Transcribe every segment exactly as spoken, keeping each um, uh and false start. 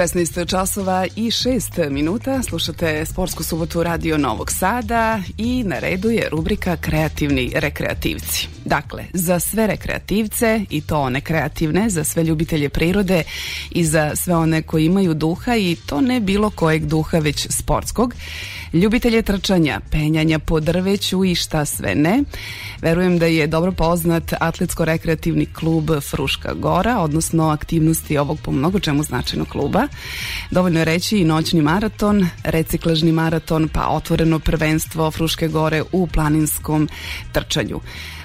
šesnaest časova i šest minuta, slušate Sportsku subotu Radio Novog Sada i na redu je rubrika Kreativni rekreativci. Dakle, za sve rekreativce, i to one kreativne, za sve ljubitelje prirode i za sve one koji imaju duha, i to ne bilo kojeg duha, već sportskog, ljubitelje trčanja, penjanja po drveću i šta sve ne. Verujem da je dobro poznat atletsko-rekreativni klub Fruška Gora, odnosno aktivnosti ovog po mnogo čemu značajnog kluba. Dovoljno je reći i noćni maraton, reciklažni maraton, pa otvoreno prvenstvo Fruške Gore u planinskom trčanju.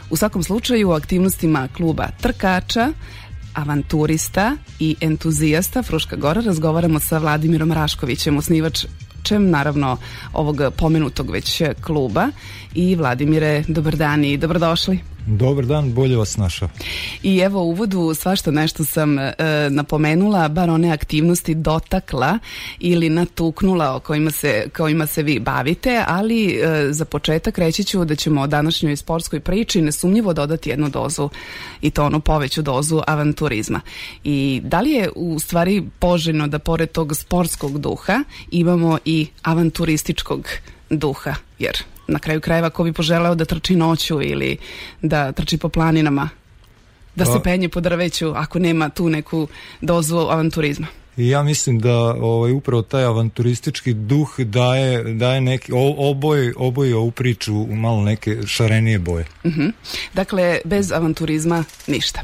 U svakom slučaju, u aktivnostima kluba trkača, avanturista i entuzijasta Fruška Gora razgovaramo sa Vladimirom Raškovićem, osnivačem naravno ovog pomenutog već kluba. I Vladimire, dobar dan i dobrodošli. Dobar dan, bolje vas našao. I evo u uvodu svašta nešto sam e, napomenula, bar one aktivnosti dotakla ili natuknula o kojima se, kojima se vi bavite, ali e, za početak reći ću da ćemo o današnjoj sportskoj priči nesumnjivo dodati jednu dozu, i to onu poveću dozu avanturizma. I da li je u stvari poželjno da pored tog sportskog duha imamo i avanturističkog duha, jer na kraju krajeva ko bi poželeo da trči noću ili da trči po planinama, da se penje po drveću, ako nema tu neku dozu avanturizma? I ja mislim da ovaj, upravo taj avanturistički duh daje, daje neki, oboje, oboje ovu priču u malo neke šarenije boje. Uh-huh. Dakle, bez avanturizma ništa.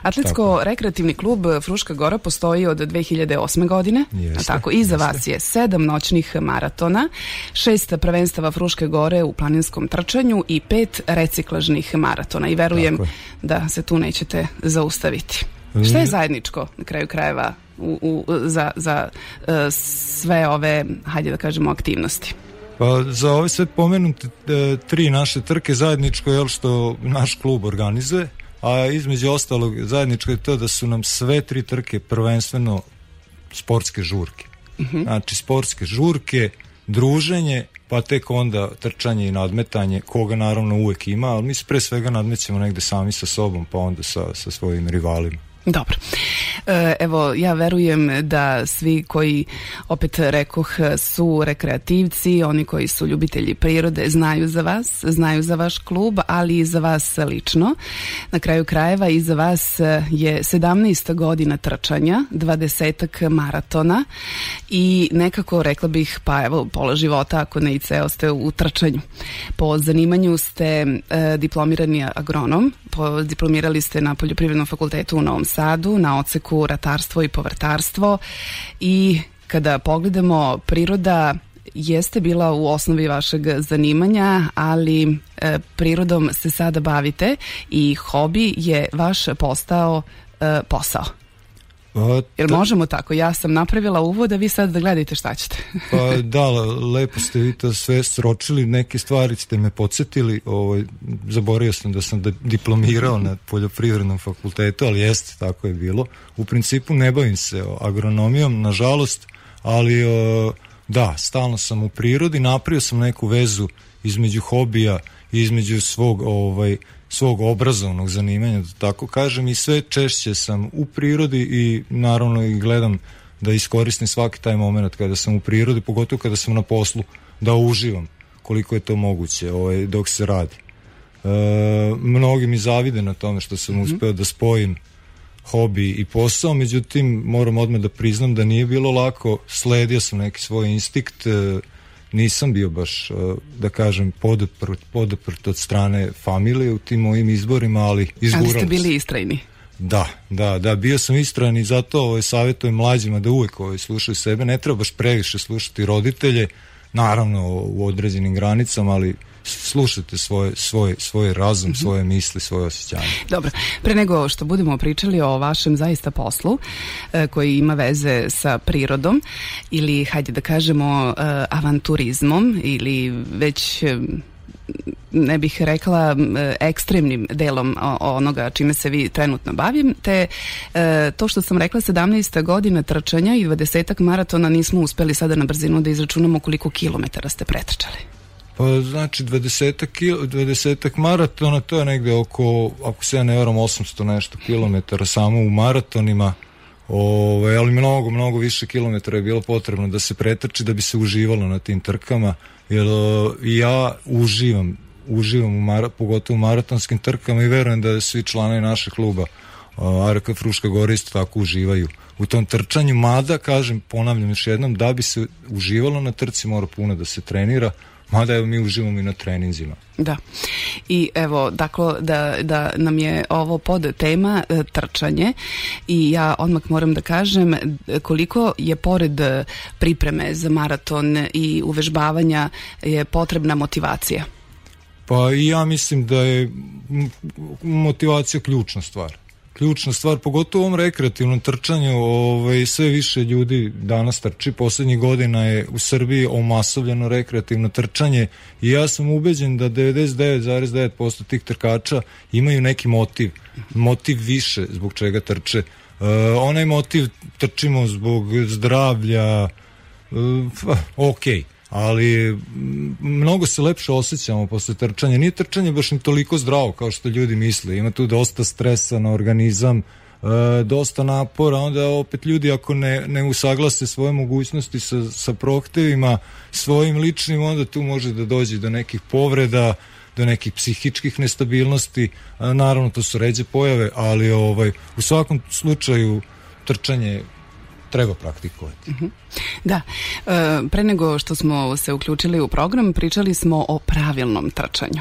Atletsko-rekreativni klub Fruška Gora postoji od dve hiljade osme godine, jeste, a tako iza jeste. Vas je sedam noćnih maratona, šest prvenstava Fruške Gore u planinskom trčanju i pet reciklažnih maratona, i verujem da se tu nećete zaustaviti. Šta je zajedničko na kraju krajeva u, u, za, za uh, sve ove, hajde da kažemo, aktivnosti? Pa za ove sve pomenute e, tri naše trke zajedničko je što naš klub organizuje, a između ostalog zajedničko je to da su nam sve tri trke prvenstveno sportske žurke. Uh-huh. Znači sportske žurke, druženje, pa tek onda trčanje i nadmetanje, koga naravno uvek ima, ali mi se pre svega nadmećemo negde sami sa sobom, pa onda sa, sa svojim rivalima. Dobro. Evo, ja verujem da svi koji, opet rekoh, su rekreativci, oni koji su ljubitelji prirode, znaju za vas, znaju za vaš klub, ali i za vas lično. Na kraju krajeva i za vas je sedamnaest godina trčanja, dvadesetak maratona i nekako, rekla bih, pa evo, pola života, ako ne i ceo, ste u trčanju. Po zanimanju ste e, diplomirani agronom, po, diplomirali ste na Poljoprivrednom fakultetu u Novom Sadu, na odseku ratarstvo i povrtarstvo, i kada pogledamo, priroda jeste bila u osnovi vašeg zanimanja, ali e, prirodom se sada bavite i hobi je vaš postao e, posao. Pa, Jer možemo tako, ja sam napravila uvod, a vi sad da gledajte šta ćete. Pa da, lepo ste vi to sve sročili, neke stvari ste me podsjetili, ovaj, zaboravio sam da sam diplomirao na Poljoprivrednom fakultetu, ali jeste, tako je bilo. U principu ne bavim se agronomijom, nažalost, ali da, stalno sam u prirodi, napravio sam neku vezu između hobija i između svog ovaj, svog obrazovnog zanimanja, da tako kažem, i sve češće sam u prirodi i naravno i gledam da iskoristim svaki taj moment kada sam u prirodi, pogotovo kada sam na poslu, da uživam koliko je to moguće ovaj, dok se radi. E, mnogi mi zavide na tome što sam mm-hmm. uspeo da spojim hobi i posao, međutim moram odmah da priznam da nije bilo lako, sledio sam neki svoj instinkt, e, nisam bio baš, da kažem, podeprt, podeprt od strane familije u tim mojim izborima, ali izguralo se. Ali ste bili istrajni? Da, da, da, bio sam istrajan i zato ovaj, savjetujem mlađima da uvek ovaj, slušaju sebe, ne treba baš previše slušati roditelje, naravno u određenim granicama, ali slušajte svoj, svoj, svoj razum, mm-hmm. svoje misli, svoje osjećanje. Dobro, pre nego što budemo pričali o vašem zaista poslu e, koji ima veze sa prirodom ili, hajde da kažemo, e, avanturizmom ili već e, ne bih rekla ekstremnim delom onoga čime se vi trenutno bavite, e, to što sam rekla sedamnaest godina trčanja i dvadesetak maratona, nismo uspeli sada na brzinu da izračunamo koliko kilometara ste pretrčali. Pa znači dvadesetak maratona, to je negde oko, ako se ja ne varam, osamsto nešto kilometara samo u maratonima, Ove, ali mnogo, mnogo više kilometara je bilo potrebno da se pretrči da bi se uživalo na tim trkama, jer ja uživam uživam u mara, pogotovo u maratonskim trkama i verujem da svi članovi našeg kluba A R K Fruška Gora isto tako uživaju u tom trčanju, mada, kažem, ponavljam još jednom, da bi se uživalo na trci mora puno da se trenira, mada evo mi uživamo i na treninzima. Da. I evo, dakle, da, da nam je ovo pod tema e, trčanje i ja odmah moram da kažem koliko je pored pripreme za maraton i uvežbavanja je potrebna motivacija. Pa i ja mislim da je motivacija ključna stvar. Ključna stvar, pogotovo u ovom rekreativnom trčanju, ovaj, sve više ljudi danas trči, poslednjih godina je u Srbiji omasovljeno rekreativno trčanje i ja sam ubeđen da devedeset devet zarez devet posto tih trkača imaju neki motiv, motiv više zbog čega trče. Uh, onaj motiv trčimo zbog zdravlja, uh, ok, ali mnogo se lepše osjećamo posle trčanja. Nije trčanje baš ni toliko zdravo kao što ljudi misle. Ima tu dosta stresa na organizam, e, dosta napora, onda opet ljudi ako ne, ne usaglase svoje mogućnosti sa, sa prohtevima svojim ličnim, onda tu može da dođe do nekih povreda, do nekih psihičkih nestabilnosti. A, naravno, to su ređe pojave, ali ovaj, u svakom slučaju trčanje treba praktikovati. Uh-huh. Da, e, pre nego što smo se uključili u program, pričali smo o pravilnom trčanju.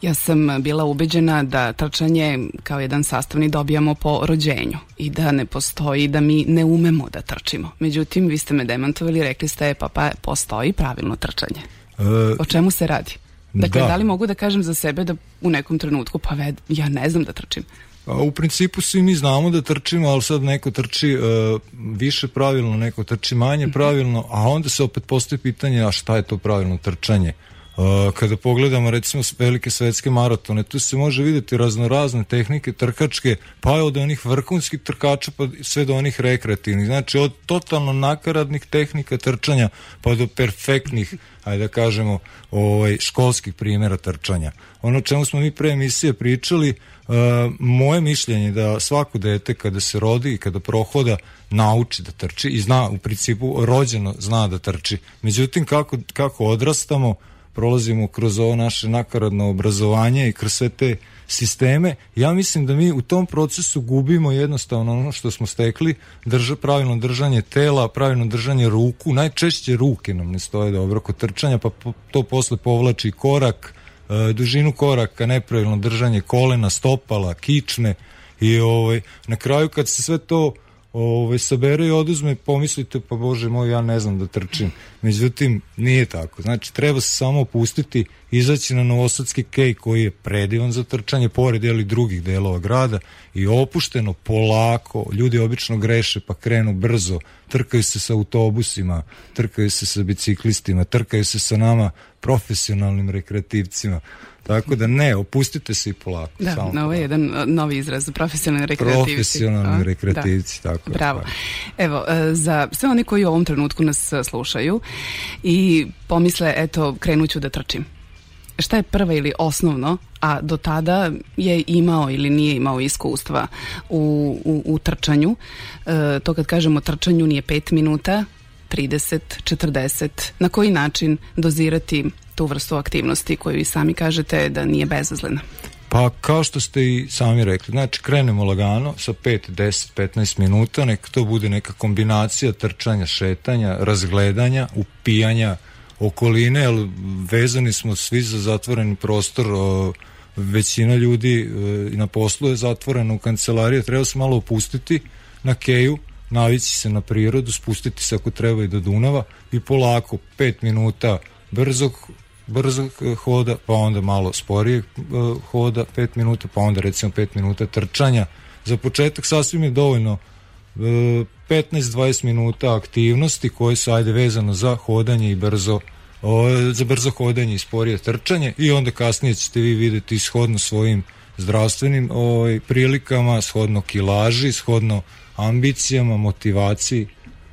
Ja sam bila ubeđena da trčanje kao jedan sastavni dobijamo po rođenju i da ne postoji, da mi ne umemo da trčimo. Međutim, vi ste me demantovali, rekli ste pa, pa postoji pravilno trčanje. E, o čemu se radi? Dakle, da. da li mogu da kažem za sebe da u nekom trenutku pa ved, ja ne znam da trčim? A u principu svi mi znamo da trčimo, ali sad neko trči uh, više pravilno, neko trči manje pravilno, a onda se opet postoji pitanje, a šta je to pravilno trčanje? Uh, kada pogledamo recimo velike svetske maratone, tu se može vidjeti raznorazne tehnike trkačke, pa od onih vrhunskih trkača pa sve do onih rekreativnih, znači od totalno nakaradnih tehnika trčanja pa do perfektnih, ajde da kažemo, ovaj, školskih primjera trčanja. Ono o čemu smo mi pre emisije pričali, Uh, moje mišljenje je da svako dete kada se rodi i kada prohoda nauči da trči i zna, u principu rođeno zna da trči. Međutim, kako, kako odrastamo, prolazimo kroz ovo naše nakaradno obrazovanje i kroz sve te sisteme, ja mislim da mi u tom procesu gubimo jednostavno ono što smo stekli, drža, pravilno držanje tela, pravilno držanje ruku, najčešće ruke nam ne stoje dobro kod trčanja, pa po, to posle povlači korak, dužinu koraka, nepravilno držanje kolena, stopala, kičme i ovaj, na kraju kad se sve to ovaj, sabere i oduzme, pomislite pa bože moj, ja ne znam da trčim. Međutim, nije tako. Znači, treba se samo opustiti, izaći na Novosadski kej koji je predivan za trčanje, pored jeli drugih delova grada i opušteno, polako, ljudi obično greše pa krenu brzo, trkaju se sa autobusima, trkaju se sa biciklistima, trkaju se sa nama profesionalnim rekreativcima. Tako da ne, opustite se i polako. Da, ovo je jedan novi izraz, profesionalni rekreativci. Profesionalni rekreativci, da. Tako. Bravo. Evo, za sve oni koji u ovom trenutku nas slušaju i pomisle, eto, krenuću da trčim. Šta je prvo ili osnovno, a do tada je imao ili nije imao iskustva u, u, u trčanju. E, to kad kažemo trčanju nije pet minuta, trideset, četrdeset. Na koji način dozirati tu vrstu aktivnosti koju i sami kažete da nije bezazlena? Pa kao što ste i sami rekli, znači krenemo lagano sa pet, deset, petnaest minuta, neka to bude neka kombinacija trčanja, šetanja, razgledanja, upijanja okoline, jer vezani smo svi za zatvoreni prostor, o, većina ljudi e, na poslu je zatvorena u kancelariji, treba se malo opustiti na keju, navići se na prirodu, spustiti se ako treba i do Dunava i polako, pet minuta brzog brzog hoda, pa onda malo sporijeg uh, hoda, pet minuta, pa onda recimo pet minuta trčanja. Za početak sasvim je dovoljno uh, petnaest do dvadeset minuta aktivnosti koje su ajde vezano za hodanje i brzo uh, za brzo hodanje i sporije trčanje i onda kasnije ćete vi vidjeti shodno svojim zdravstvenim uh, prilikama, shodno kilaži, shodno ambicijama, motivaciji,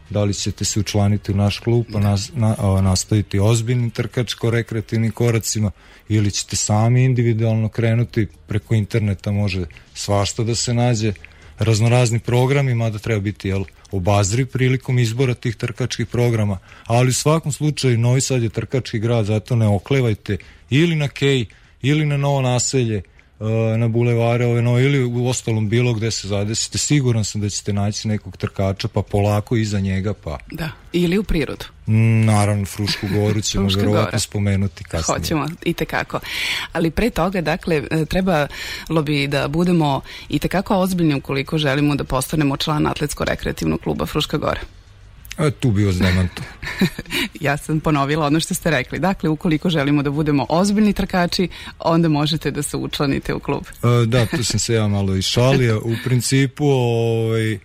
da li ćete se učlaniti u naš klub pa nas, na, a, nastaviti ozbiljnim trkačko-rekreativnim koracima ili ćete sami individualno krenuti, preko interneta može svašta da se nađe. raznorazni programi, mada treba biti jel, obazriv prilikom izbora tih trkačkih programa, ali u svakom slučaju Novi Sad je trkački grad, zato ne oklevajte ili na Kej, ili na Novo Naselje, na bulevare ove nove, ili u ostalom bilo gde se zadesite, siguran sam da ćete naći nekog trkača, pa polako iza njega, pa... Da, ili u prirodu. Naravno, Frušku Goru ćemo verovatno spomenuti kasnije. Hoćemo, i tekako. Ali pre toga, dakle, trebalo bi da budemo i tekako ozbiljni ukoliko želimo da postanemo član Atletsko-rekreativnog kluba Fruška Gora. A tu bi vas demanto. Ja sam ponovila ono što ste rekli. Dakle, ukoliko želimo da budemo ozbiljni trkači, onda možete da se učlanite u klub. A, da, tu sam se ja malo išalio. U principu, ovaj,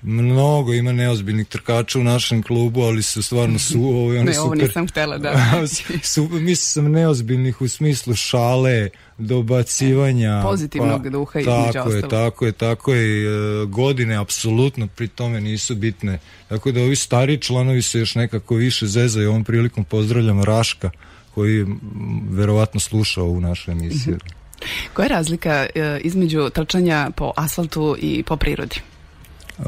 mnogo ima neozbiljnih trkača u našem klubu, ali su stvarno su... Ovaj, oni ne, ovo super, nisam htela da... su, mislim sam neozbiljnih u smislu šale, dobacivanja, pozitivnog pa, duha između tako je, tako je, tako je, e, godine apsolutno pri tome nisu bitne, tako da ovi stariji članovi se još nekako više zezaju. Ovom prilikom pozdravljam Raška koji m, verovatno sluša ovu našu emisiju. Mm-hmm. Koja je razlika e, između trčanja po asfaltu i po prirodi? E,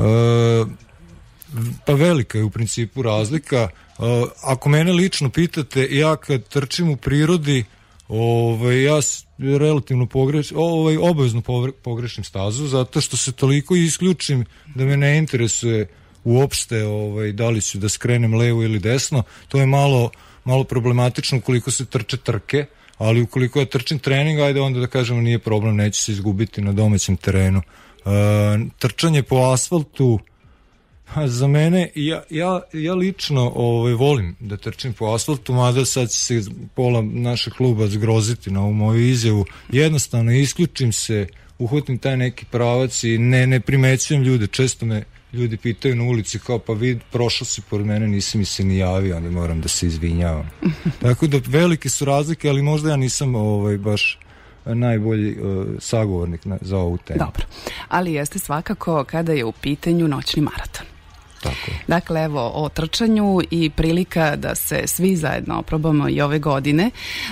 pa velika je u principu razlika. E, ako mene lično pitate, ja kad trčim u prirodi, Ove, ja relativno pogreš, ovaj, obavezno pogrešim stazu, zato što se toliko isključim da me ne interesuje uopšte ovaj, da li ću da skrenem levo ili desno. To je malo, malo problematično ukoliko se trče trke, ali ukoliko ja trčim trening, ajde onda da kažemo nije problem, neću se izgubiti na domaćem terenu. E, trčanje po asfaltu, za mene, ja, ja, ja lično ovaj, volim da trčim po asfaltu, mada sad će se pola našeg kluba zgroziti na ovu moju izjavu. Jednostavno isključim se, uhvatim taj neki pravac i ne, ne primećujem ljude. Često me ljudi pitaju na ulici kao pa vid, prošao si pored mene, nisi mi se ni javio, onda moram da se izvinjavam. Tako da velike su razlike, ali možda ja nisam ovaj, baš najbolji uh, sagovornik na, za ovu temu. Dobro, ali jeste svakako kada je u pitanju noćni maraton. Tako. Dakle, evo, o trčanju i prilika da se svi zajedno oprobamo i ove godine.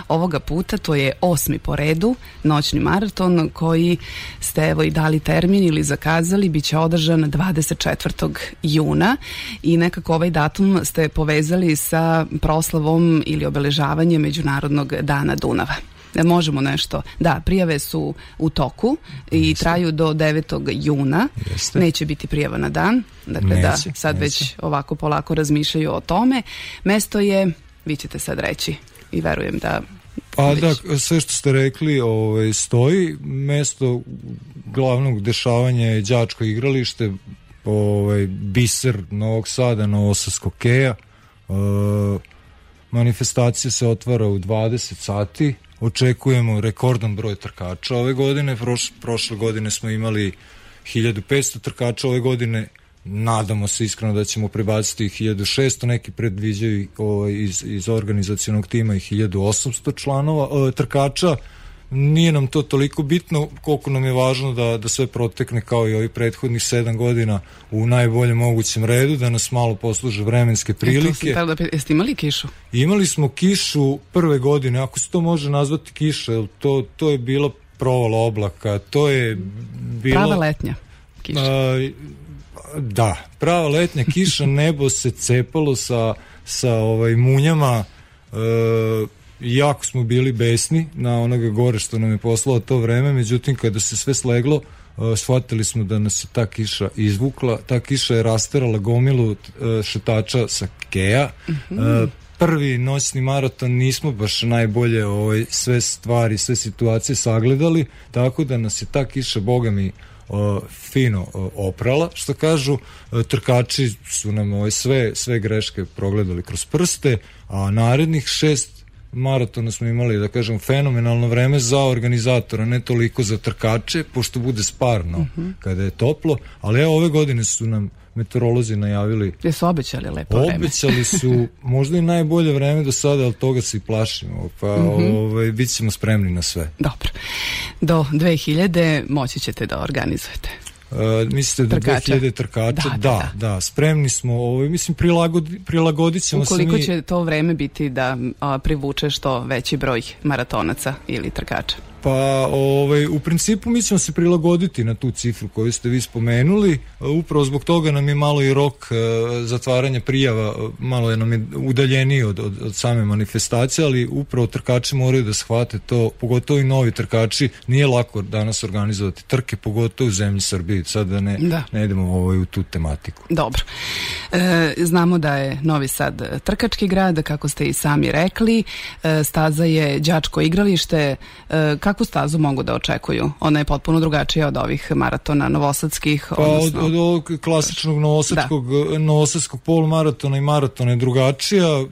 Ovoga puta to je osmi po redu noćni maraton koji ste evo i dali termin ili zakazali, bit će održan dvadeset četvrtog juna i nekako ovaj datum ste povezali sa proslavom ili obeležavanjem Međunarodnog dana Dunava. Možemo nešto. Da, prijave su u toku i Jeste. Traju do devetog juna. Jeste. Neće biti prijava na dan. Dakle, neće, da sad neće. Već ovako polako razmišljaju o tome. Mesto je, vi ćete sad reći i verujem da... Pa već... da, sve što ste rekli ovaj, stoji. Mesto glavnog dešavanja je đačko igralište, ovaj, biser Novog Sada, Novosadskog Keja. E, manifestacija se otvara u dvadeset sati. Očekujemo rekordan broj trkača ove godine. Proš, prošle godine smo imali hiljadu petsto trkača, ove godine nadamo se iskreno da ćemo prebaciti hiljadu šesto, neki predviđaju ovaj, iz, iz organizacionog tima i hiljadu osamsto članova o, trkača. Nije nam to toliko bitno koliko nam je važno da, da sve protekne kao i ovih prethodnih sedam godina u najboljem mogućem redu, da nas malo posluže vremenske prilike. E, da, jeste imali kišu? Imali smo kišu prve godine, ako se to može nazvati kiša, to, to je bila provala oblaka, to je bilo... Prava letnja kiša. A, da, prava letnja kiša, nebo se cepalo sa, sa ovaj, munjama, e, jako smo bili besni na onoga gore što nam je poslao to vreme, međutim kada se sve sleglo, uh, shvatili smo da nas je ta kiša izvukla, ta kiša je rasterala gomilu uh, šetača sa Keja. Mm-hmm. uh, prvi noćni maraton nismo baš najbolje ovaj, sve stvari, sve situacije sagledali, tako da nas je ta kiša bogami Uh, fino uh, oprala, što kažu. Uh, trkači su nam ovaj, sve, sve greške progledali kroz prste, a narednih šest maratona smo imali, da kažem, fenomenalno vreme za organizatora, ne toliko za trkače, pošto bude sparno mm-hmm. kada je toplo, ali evo ove godine su nam meteorolozi najavili. Gde su obećali lepo vreme? Obećali su možda i najbolje vreme do sada, ali toga se i plašimo, pa mm-hmm. ovaj, bit ćemo spremni na sve. Dobro. Do dve hiljade moći ćete da organizujete. Uh, mislite da trkača. dve hiljade trkača? Da, da, da, da. Spremni smo, ovaj, mislim, prilagodi, prilagodit ćemo se mi... Ukoliko će to vreme biti da a, privuče što veći broj maratonaca ili trkača? Pa ovaj, u principu mi ćemo se prilagoditi na tu cifru koju ste vi spomenuli, upravo zbog toga nam je malo i rok zatvaranja prijava, malo je nam je udaljeniji od, od, od same manifestacije, ali upravo trkači moraju da shvate to, pogotovo i novi trkači, nije lako danas organizovati trke, pogotovo u zemlji Srbiji, sad da ne, da. ne idemo ovaj, u tu tematiku. Dobro. E, znamo da je Novi Sad trkački grad, kako ste i sami rekli, e, staza je đačko igralište. E, kakvu stazu mogu da očekuju? Ona je potpuno drugačija od ovih maratona novosadskih. Pa odnosno... od, od ovog klasičnog novosadskog, novosadskog polumaratona i maratona je drugačija.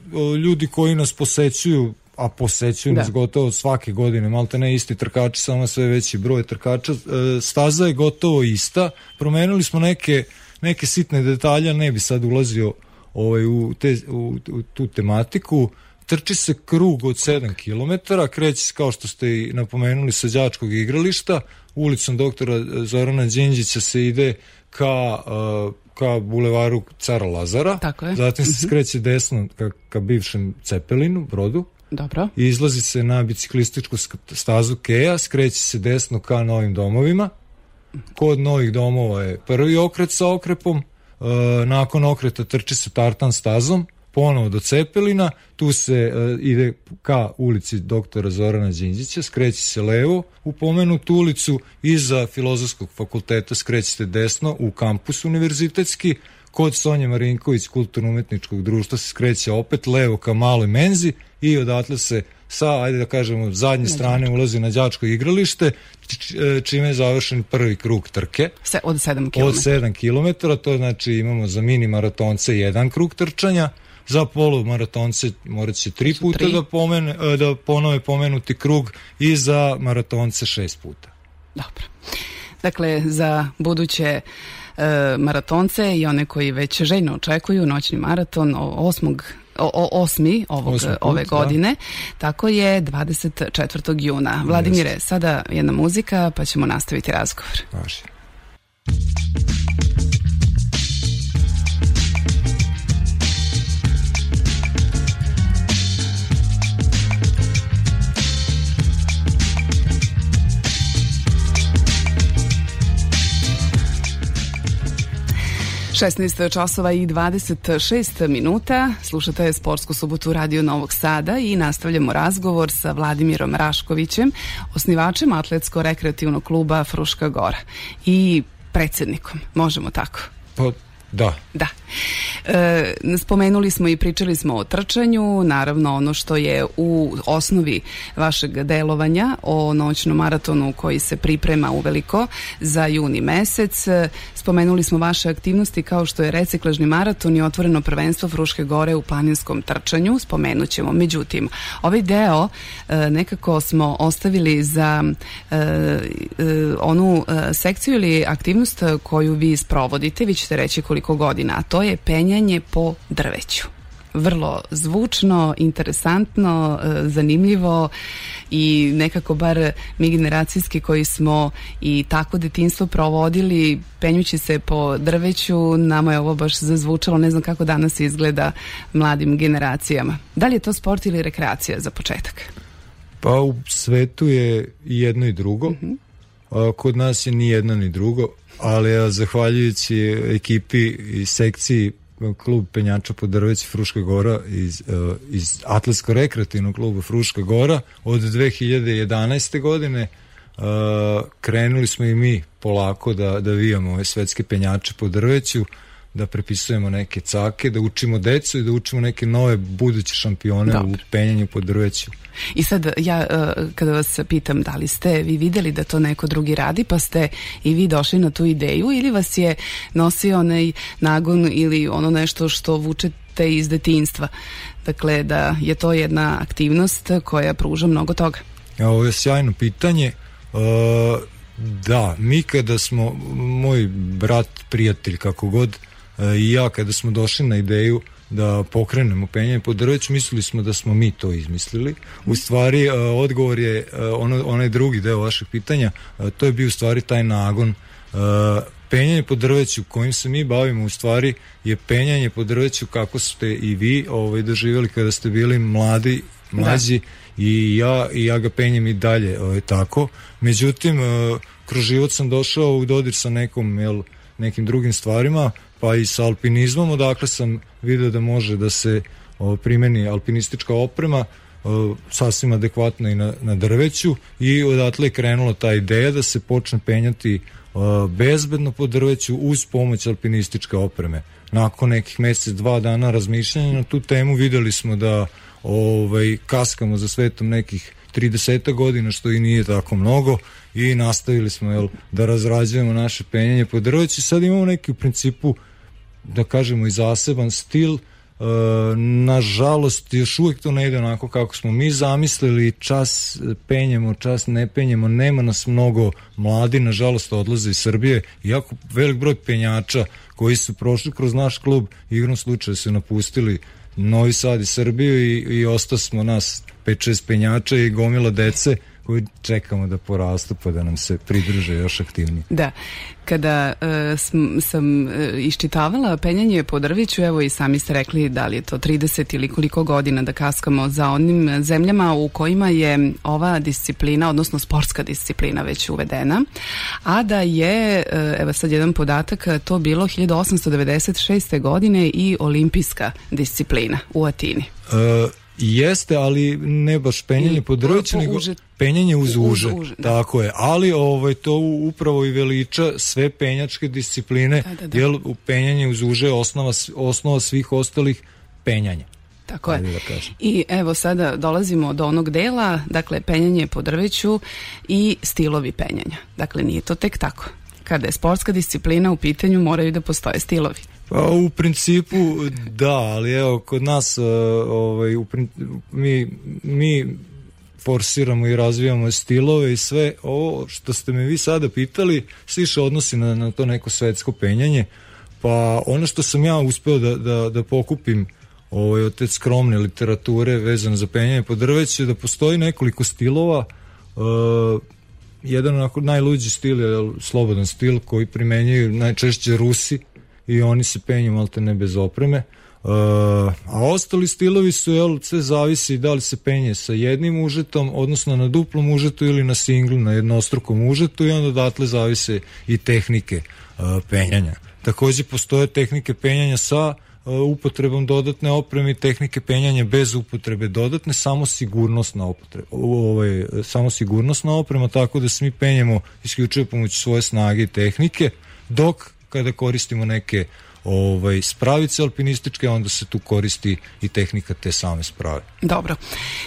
Ljudi koji nas posećuju, a posećuju da. nas gotovo svake godine, malte ne isti trkači, samo sve veći broj trkača, staza je gotovo ista. Promenili smo neke, neke sitne detalje, ne bi sad ulazio ovaj, u, te, u, u tu tematiku. Trči se krug od sedam kilometara, kreće se, kao što ste i napomenuli, sa đačkog igrališta, ulicom doktora Zorana Đinđića se ide ka, uh, ka bulevaru Cara Lazara. Tako je. Zatim se mm-hmm. skreće desno ka, ka bivšem Cepelinu, Brodu. Dobro. I izlazi se na biciklističku stazu Keja, skreće se desno ka Novim domovima. Kod Novih domova je prvi okret sa okrepom, uh, nakon okreta trči se tartan stazom, ponovo do Cepelina, tu se uh, ide ka ulici doktora Zorana Đinđića, skreće se levo u pomenutu ulicu, iza Filozofskog fakulteta skrećete desno u kampus univerzitetski, kod Sonje Marinković kulturno-umetničkog društva se skreće opet levo ka Maloj menzi i odatle se sa, ajde da kažemo, zadnje strane ulazi na đačko igralište, čime je završen prvi krug trke. Se, od sedam kilometara. Od sedam kilometara, to znači imamo za mini maratonce jedan krug trčanja, za polumaratonce morat će tri puta tri. Da, pomene, da ponove pomenuti krug i za maratonce šest puta. Dobro. Dakle, za buduće e, maratonce i one koji već željno očekuju noćni maraton osmog O, o, osmi ovog, put, ove godine, da. Tako je dvadeset četvrtog juna. Vladimire, Jest. Sada jedna muzika pa ćemo nastaviti razgovor. Važi. šesnaest časova i dvadeset šest minuta. Slušate Sportsku subotu Radio Novog Sada i nastavljamo razgovor sa Vladimirom Raškovićem, osnivačem atletsko-rekreativnog kluba Fruška Gora i predsjednikom, možemo tako? Pa da. Da. E, spomenuli smo i pričali smo o trčanju, naravno ono što je u osnovi vašeg delovanja o noćnom maratonu koji se priprema uveliko za juni mesec. Spomenuli smo vaše aktivnosti kao što je reciklažni maraton i otvoreno prvenstvo Fruške Gore u planinskom trčanju, spomenut ćemo. Međutim, ovaj deo e, nekako smo ostavili za e, e, onu e, sekciju ili aktivnost koju vi sprovodite, vi ćete reći koliko godina, a to je penjanje po drveću. Vrlo zvučno, interesantno, zanimljivo i nekako bar mi generacijski koji smo i tako detinjstvo provodili penjući se po drveću, nama je ovo baš zazvučalo, ne znam kako danas izgleda mladim generacijama. Da li je to sport ili rekreacija za početak? Pa u svetu je i jedno i drugo. Mm-hmm. A kod nas je ni jedno ni drugo, ali ja, zahvaljujući ekipi i sekciji klub penjača po drveću Fruška Gora iz, uh, iz atletsko-rekreativnog kluba Fruška Gora od dve hiljade jedanaeste godine uh, krenuli smo i mi polako da, da vijamo ove svetske penjače po drveću, da prepisujemo neke cake, da učimo decu i da učimo neke nove buduće šampione Dobre. U penjanju po drveću. I sad ja kada vas pitam da li ste vi vidjeli da to neko drugi radi pa ste i vi došli na tu ideju ili vas je nosio onaj nagon ili ono nešto što vučete iz detinjstva, dakle da je to jedna aktivnost koja pruža mnogo toga? Ja, ovo je sjajno pitanje. Uh, da, mi kada smo, moj brat, prijatelj kako god uh, i ja kada smo došli na ideju da pokrenemo penjanje po drveću, mislili smo da smo mi to izmislili. U stvari, uh, odgovor je uh, ono, onaj drugi deo vašeg pitanja, uh, to je bio u stvari taj nagon. Uh, penjanje po drveću kojim se mi bavimo u stvari je penjanje po drveću kako ste i vi ovaj, doživjeli kada ste bili mladi mlađi da. i ja i ja ga penjem i dalje ovaj, tako. Međutim, kroz život sam došao u dodir sa nekom, jel, nekim drugim stvarima, pa i sa alpinizmom, odakle sam vidio da može da se o, primeni alpinistička oprema o, sasvim adekvatno i na, na drveću, i odatle je krenula ta ideja da se počne penjati o, bezbedno po drveću uz pomoć alpinističke opreme. Nakon nekih mjesec, dva dana razmišljanja na tu temu vidjeli smo da ovaj, kaskamo za svetom nekih trideset godina, što i nije tako mnogo, i nastavili smo, jel, da razrađujemo naše penjanje po drveću. Sad imamo neki u principu, da kažemo, i zaseban stil. E, nažalost, još uvijek to ne ide onako kako smo mi zamislili. Čas penjemo, čas ne penjemo, nema nas mnogo, mladi nažalost odlaze iz Srbije. Iako velik broj penjača koji su prošli kroz naš klub, igrom slučaja su napustili Novi Sad i Srbiju, i, i ostao smo nas pet šest penjača i gomila dece koji čekamo da porastu pa da nam se pridruže još aktivnije. Da, kada uh, sam, sam uh, iščitavala penjanje po drveću, evo i sami ste rekli da li je to trideset ili koliko godina da kaskamo za onim zemljama u kojima je ova disciplina, odnosno sportska disciplina već uvedena, a da je, uh, evo sad jedan podatak, to bilo hiljadu osamsto devedeset šeste godine i olimpijska disciplina u Atini. Uh, Jeste, ali ne baš penjanje po drveću, nego penjanje uz uže. Uz uže, tako je, ali ovaj, to upravo i veliča sve penjačke discipline, da, da, da. Jer penjanje uz uže je osnova, osnova svih ostalih penjanja. Tako je. Da I evo sada dolazimo do onog dela, dakle penjanje po drveću i stilovi penjanja. Dakle, nije to tek tako. Kada je sportska disciplina u pitanju, moraju da postoje stilovi. Pa u principu da, ali evo kod nas ovaj, u, mi, mi forsiramo i razvijamo stilove i sve. Ovo što ste me vi sada pitali se više odnosi na, na to neko svetsko penjanje, pa ono što sam ja uspeo da, da, da pokupim ovaj, od te skromne literature vezano za penjanje po drveću, da postoji nekoliko stilova. uh, jedan onako najluđi stil je slobodan stil koji primenjuju najčešće Rusi, i oni se penju malte ne bez opreme. Uh, a ostali stilovi su, jel, sve zavisi da li se penje sa jednim užetom, odnosno na duplom užetu ili na singlu, na jednostrukom užetu, i onda odatle zavise i tehnike uh, penjanja. Također postoje tehnike penjanja sa uh, upotrebom dodatne opreme i tehnike penjanja bez upotrebe dodatne, samo sigurnosna opotreba, ovaj, samo sigurnosna oprema, tako da se mi penjemo isključivo pomoću svoje snage i tehnike, dok kada koristimo neke ovaj, spravice alpinističke, onda se tu koristi i tehnika te same sprave. Dobro.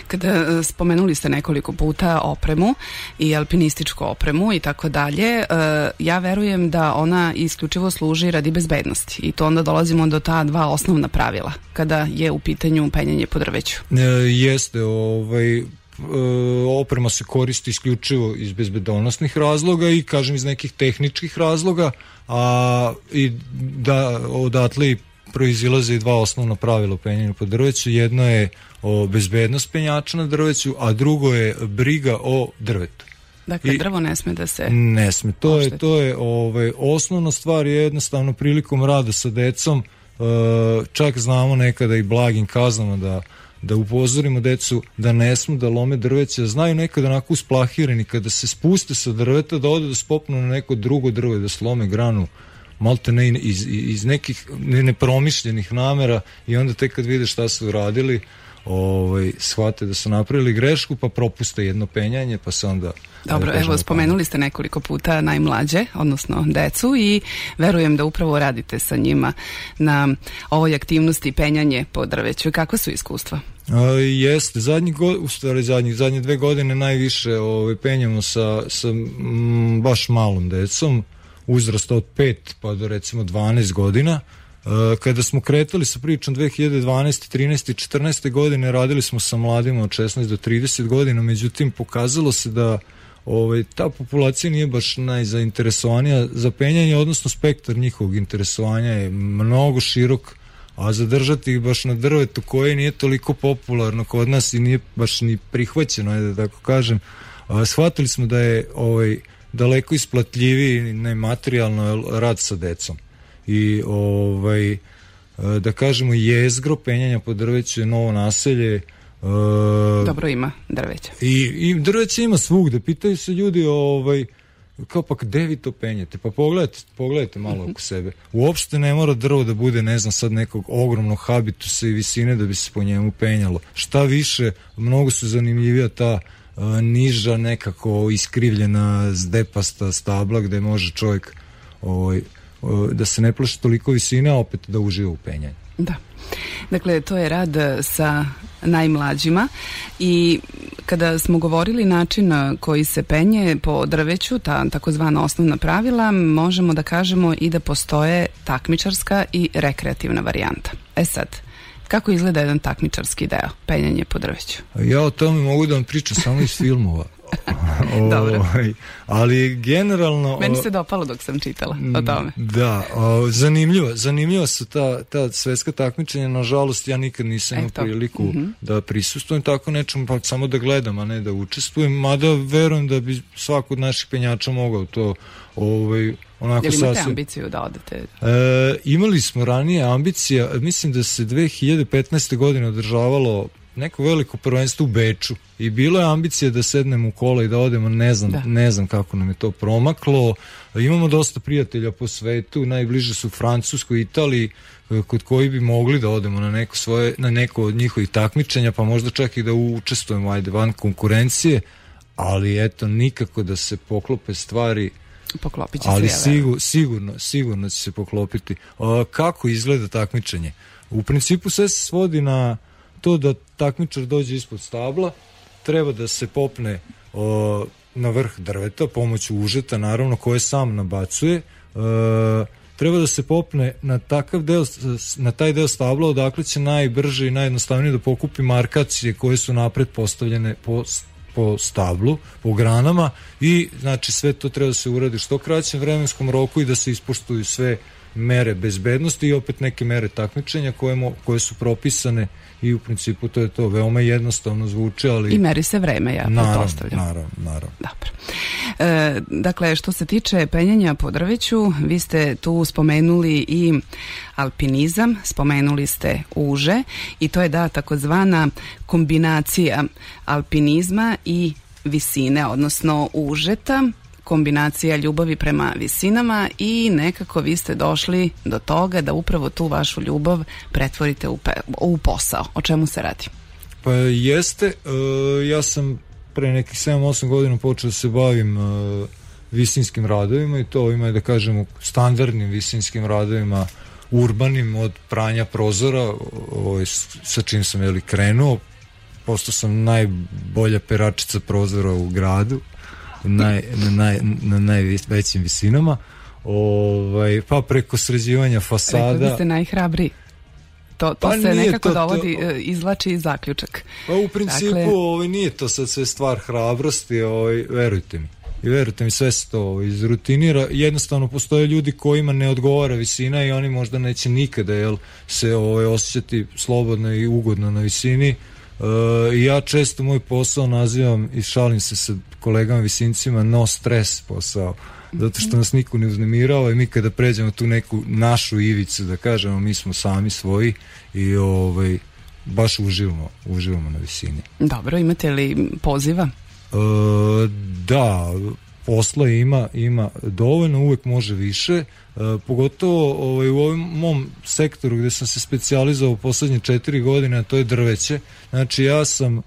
Kada spomenuli ste nekoliko puta opremu i alpinističku opremu i tako dalje, ja verujem da ona isključivo služi radi bezbednosti, i to onda dolazimo do ta dva osnovna pravila kada je u pitanju penjanje po drveću. E, jeste, ovaj oprema se koristi isključivo iz bezbednosnih razloga i, kažem, iz nekih tehničkih razloga, a i da odatle proizilaze i dva osnovna pravila u penjanju po drveću. Jedno je o bezbednost penjača na drveću, a drugo je briga o drvetu. Dakle, I drvo ne sme da se... Ne sme. To ošteti. je, to je ovaj, osnovna stvar je jednostavno prilikom rada sa decom, uh, čak znamo nekada i blagim kaznama da da upozorimo decu da ne smu da lome drveće, znaju nekada onako usplahirani kada se spuste sa drveta da ode da spopnu na neko drugo drvo i da slome granu malte ne iz, iz nekih nepromišljenih namera, i onda tek kad vide šta su uradili, ovaj, shvate da su napravili grešku, pa propuste jedno penjanje, pa se onda... Dobro, da evo, spomenuli ste nekoliko puta najmlađe, odnosno decu, i verujem da upravo radite sa njima na ovoj aktivnosti penjanje po drveću. Kakva su iskustva? A, jeste, zadnji go, u stvari zadnji, zadnje dve godine najviše ovaj, penjamo sa, sa m, baš malom decom, uzrasta od pet pa do recimo dvanaest godina. Kada smo kretali sa pričom dve hiljade dvanaeste, trinaeste i četrnaeste godine, radili smo sa mladima od šesnaest do trideset godina, međutim pokazalo se da ovaj, ta populacija nije baš najzainteresovanija za penjanje, odnosno spektar njihovog interesovanja je mnogo širok, a zadržati ih baš na drvetu koje nije toliko popularno kod nas i nije baš ni prihvaćeno, da tako kažem, a, shvatili smo da je ovaj, daleko isplatljiviji nematerijalno rad sa decom. I ovaj, da kažemo, jezgro penjanja po drveću je Novo Naselje, Uh, Dobro ima drveća. I, i drveća ima svugde. Pitaju se ljudi, ovaj, kao pa gde vi to penjete? Pa pogledajte, pogledajte malo oko sebe. Uopšte ne mora drvo da bude, ne znam, sad nekog ogromnog habitusa i visine da bi se po njemu penjalo. Šta više, mnogo su zanimljivija ta uh, niža, nekako iskrivljena, zdepasta stabla gde može čovjek ovaj, uh, da se ne plaši toliko visine, a opet da uživa u penjanju. Da. Dakle, to je rad sa najmlađima i kada smo govorili način koji se penje po drveću, ta takozvana osnovna pravila, možemo da kažemo i da postoje takmičarska i rekreativna varijanta. E sad, kako izgleda jedan takmičarski deo, penjanje po drveću? Ja o tome mogu da vam pričam samo iz filmova. Dobro. O, ali generalno... Meni se dopalo dok sam čitala o tome. Da, o, zanimljivo, zanimljivo su ta, ta svetska takmičenja, nažalost ja nikad nisam imao priliku mm-hmm. da prisustvujem tako nečemu, pa samo da gledam, a ne da učestvujem, mada verujem da bi svako od naših penjača mogao to ovaj, onako sasvim... Jel imate sasvim... ambiciju da odete? E, imali smo ranije ambicija, mislim da se dve hiljade petnaeste. godine održavalo neko veliko prvenstvo u Beču i bilo je ambicija da sednemo u kola i da odemo, ne znam, da. ne znam kako nam je to promaklo. Imamo dosta prijatelja po svetu, najbliže su Francuskoj, Italiji, kod koji bi mogli da odemo na neko svoje, na neko od njihovih takmičenja, pa možda čak i da učestvujemo, ajde, van konkurencije, ali eto, nikako da se poklope stvari. Poklopit će ali se, sigur, sigurno, sigurno će se poklopiti. A, kako izgleda takmičenje? U principu sve se svodi na to da takmičar dođe ispod stabla, treba da se popne o, na vrh drveta pomoću užeta, naravno, koje sam nabacuje. E, treba da se popne na takav deo, na taj deo stabla odakle će najbrže i najjednostavnije da pokupi markacije koje su napred postavljene po, po stablu, po granama, i znači sve to treba da se uradi što kraćem vremenskom roku i da se ispoštuju sve mere bezbednosti i opet neke mere takmičenja koje, mo, koje su propisane, i u principu to je to. Veoma jednostavno zvuči, ali... I meri se vreme, ja pretpostavljam. Naravno, naravno. Dobro. E, dakle, što se tiče penjanja po drveću, vi ste tu spomenuli i alpinizam, spomenuli ste uže, i to je da takozvana kombinacija alpinizma i visine, odnosno užeta, kombinacija ljubavi prema visinama, i nekako vi ste došli do toga da upravo tu vašu ljubav pretvorite u, pe, u posao. O čemu se radi? Pa jeste, uh, ja sam pre nekih sedam osam godina počeo da se bavim uh, visinskim radovima, i to ovima, da kažemo, standardnim visinskim radovima, urbanim, od pranja prozora, ovaj, sa čim sam jeli krenuo. Postao sam najbolja peračica prozora u gradu, Naj, na, naj, na najvećim visinama, ovaj, pa preko sređivanja fasada. Rekli ste najhrabriji. To, to pa se nekako to, dovodi, to, izvlači i zaključak. Pa u principu dakle, ovaj, nije to sad sve stvar hrabrosti, ovaj, verujte mi. I verujte mi, sve se to ovaj, izrutinira. Jednostavno postoje ljudi kojima ne odgovara visina i oni možda neće nikada jel, se ovaj, osjećati slobodno i ugodno na visini. Uh, ja često moj posao nazivam i šalim se sa kolegama visincima no stres posao, zato što nas niko ne uznemirava i mi kada pređemo tu neku našu ivicu, da kažemo, mi smo sami svoji i ovaj, baš uživamo, uživamo na visini. Dobro, imate li poziva? Uh, da, posla ima, ima dovoljno, uvek može više. Uh, pogotovo ovaj, u ovom mom sektoru gde sam se specijalizovao poslednje četiri godine, a to je drveće. Znači ja sam, uh,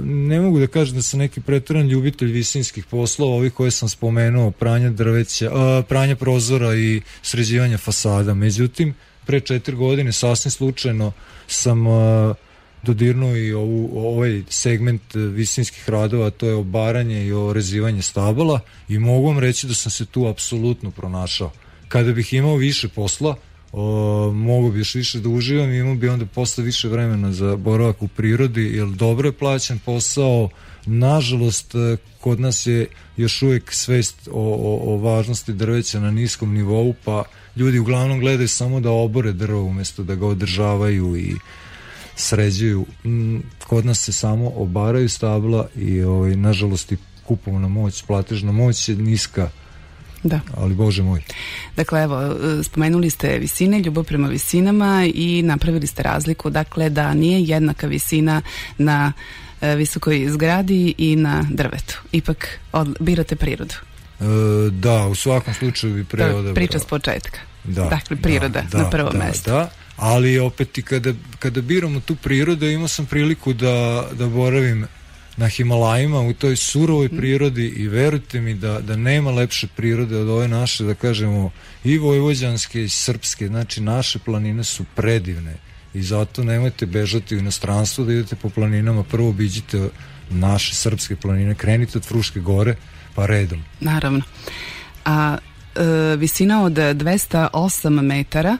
ne mogu da kažem da sam neki preteran ljubitelj visinskih poslova, ovih koje sam spomenuo, pranja drveća, uh, pranja prozora i sređivanja fasada. Međutim, pre četiri godine sasvim slučajno sam uh, dodirnuo i ovu, ovaj segment visinskih radova, to je obaranje i orezivanje stabala, i mogu vam reći da sam se tu apsolutno pronašao. Kada bih imao više posla, o, mogu bi još više da uživam i imao bi onda posle više vremena za boravak u prirodi, jer dobro je plaćen posao. Nažalost, kod nas je još uvijek svest o, o, o važnosti drveća na niskom nivou, pa ljudi uglavnom gledaju samo da obore drvo umjesto da ga održavaju i sređuju. Kod nas se samo obaraju stabla i ovaj, nažalost i kupovna moć, platežna moć je niska. Da. Ali Bože moj. Dakle, evo, spomenuli ste visine, ljubav prema visinama i napravili ste razliku, dakle, da nije jednaka visina na e, visokoj zgradi i na drvetu. Ipak od, birate prirodu. E, da, u svakom slučaju bi pre odabrao. Priča s početka. Da, dakle, priroda da, na prvo da, mesto. Da, ali opet i kada, kada biramo tu prirodu, imao sam priliku da, da boravim na Himalajima, u toj surovoj prirodi i verujte mi da, da nema lepše prirode od ove naše, da kažemo, i vojvođanske i srpske, znači naše planine su predivne i zato nemojte bežati u inostranstvo da idete po planinama, prvo obiđite naše srpske planine, krenite od Fruške gore pa redom. Naravno. A e, visina od dvesta osam metara,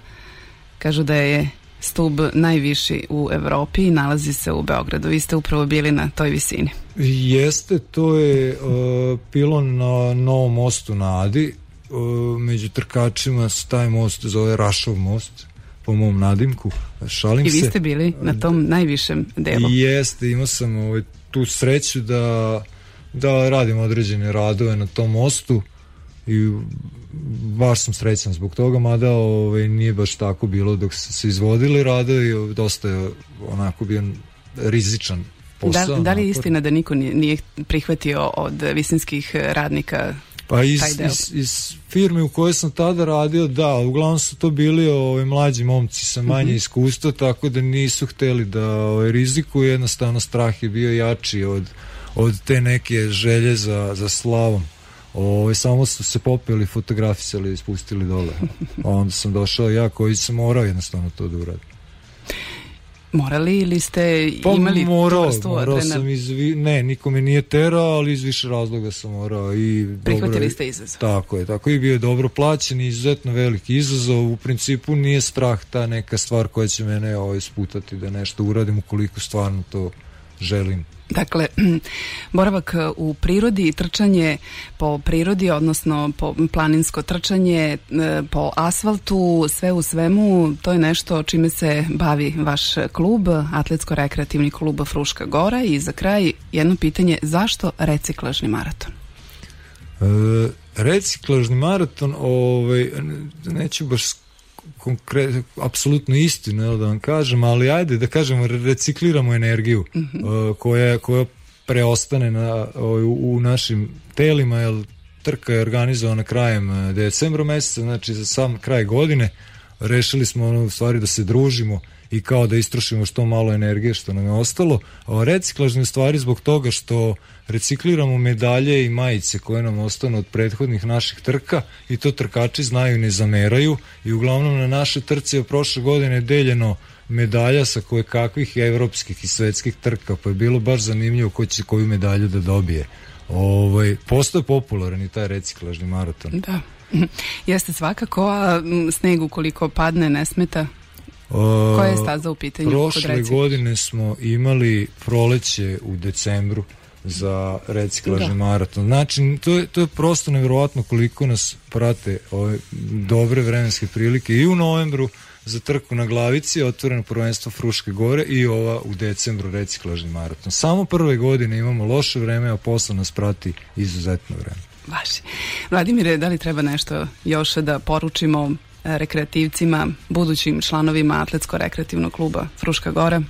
kažu da je stub najviši u Evropi i nalazi se u Beogradu. Vi ste upravo bili na toj visini. Jeste, to je uh, pilon na Novom mostu na Adi. Uh, među trkačima se taj most zove Rašov most, po mom nadimku. Šalim I vi se. ste bili na tom najvišem delu. Jeste, imao sam ovaj, tu sreću da, da radim određene radove na tom mostu i baš sam srećan zbog toga, mada ovaj, nije baš tako bilo dok se, se izvodili radovi, dosta je onako bio rizičan posao. Da, da li je istina da niko nije prihvatio od visinskih radnika pa iz, taj deo? iz, iz firme u kojoj sam tada radio, da, uglavnom su to bili ovaj, mlađi momci sa manje mm-hmm. iskustva, tako da nisu hteli da ovaj, rizikuju, jednostavno strah je bio jači od, od te neke želje za, za slavom. Ove, samo su se popeli, fotografisali i spustili dole. A onda sam došao ja koji sam morao jednostavno to da uradim. Morali ili ste pa imali morao, tu vrstu morao adrenalina? sam iz, ne, niko me nije terao, ali iz više razloga sam morao. I prihvatili dobro, ste izazov. Tako je, tako i bio je dobro plaćen i izuzetno veliki izazov. U principu nije strah ta neka stvar koja će mene ovaj, sputati da nešto uradim ukoliko stvarno to želim. Dakle, boravak u prirodi i trčanje po prirodi, odnosno po planinsko trčanje po asfaltu, sve u svemu, to je nešto čime se bavi vaš klub, Atletsko-rekreativni klub Fruška Gora. I za kraj jedno pitanje, zašto reciklažni maraton? E, reciklažni maraton, ovaj, neću baš konkretno, apsolutno istinu, jel, da vam kažem, ali ajde da kažemo, recikliramo energiju mm-hmm. uh, koja, koja preostane na, u, u našim telima, jer trka je organizovana krajem decembra meseca, znači za sam kraj godine rešili smo ono, u stvari da se družimo i kao da istrošimo što malo energije što nam je ostalo. A reciklažne stvari zbog toga što recikliramo medalje i majice koje nam ostanu od prethodnih naših trka i to trkači znaju i ne zameraju i uglavnom na naše trce je prošle godine deljeno medalja sa koje kakvih evropskih i svetskih trka, pa je bilo baš zanimljivo ko će koju medalju da dobije. Ovaj, postoje popularan i taj reciklažni maraton. Da, jeste svakako, a sneg ukoliko padne ne smeta? Koja je staza u pitanju? Prošle godine smo imali proleće u decembru za reciklažni da. maraton. Znači, to je, to je prosto nevjerovatno koliko nas prate ove dobre vremenske prilike i u novembru za trku na Glavici, otvoreno prvenstvo Fruške Gore i ova u decembru reciklažni maraton. Samo prve godine imamo loše vreme, a posle nas prati izuzetno vreme. Vaši. Vladimire, da li treba nešto još da poručimo rekreativcima, budućim članovima Atletsko-rekreativnog kluba Fruška Gora? E,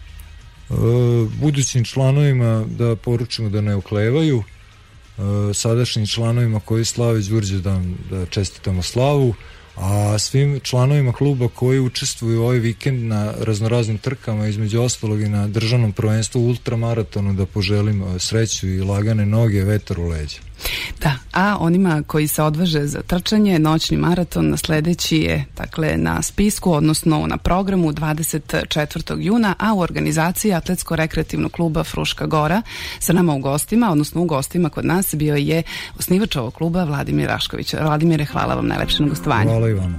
budućim članovima da poručimo da ne oklevaju, e, sadašnjim članovima koji slave Đurđevdan da čestitamo slavu, a svim članovima kluba koji učestvuju ovaj vikend na raznoraznim trkama, između ostalog i na državnom prvenstvu ultramaratonu, da poželim sreću i lagane noge, vetar u leđa. Da, a onima koji se odvaže za trčanje, noćni maraton sledeći je dakle na spisku, odnosno na programu dvadeset četvrtog juna, a u organizaciji Atletsko-rekreativnog kluba Fruška Gora. Sa nama u gostima, odnosno u gostima kod nas bio je osnivač ovog kluba Vladimir Rašković. Vladimire, hvala vam najlepše na gostovanju. Hvala i vama.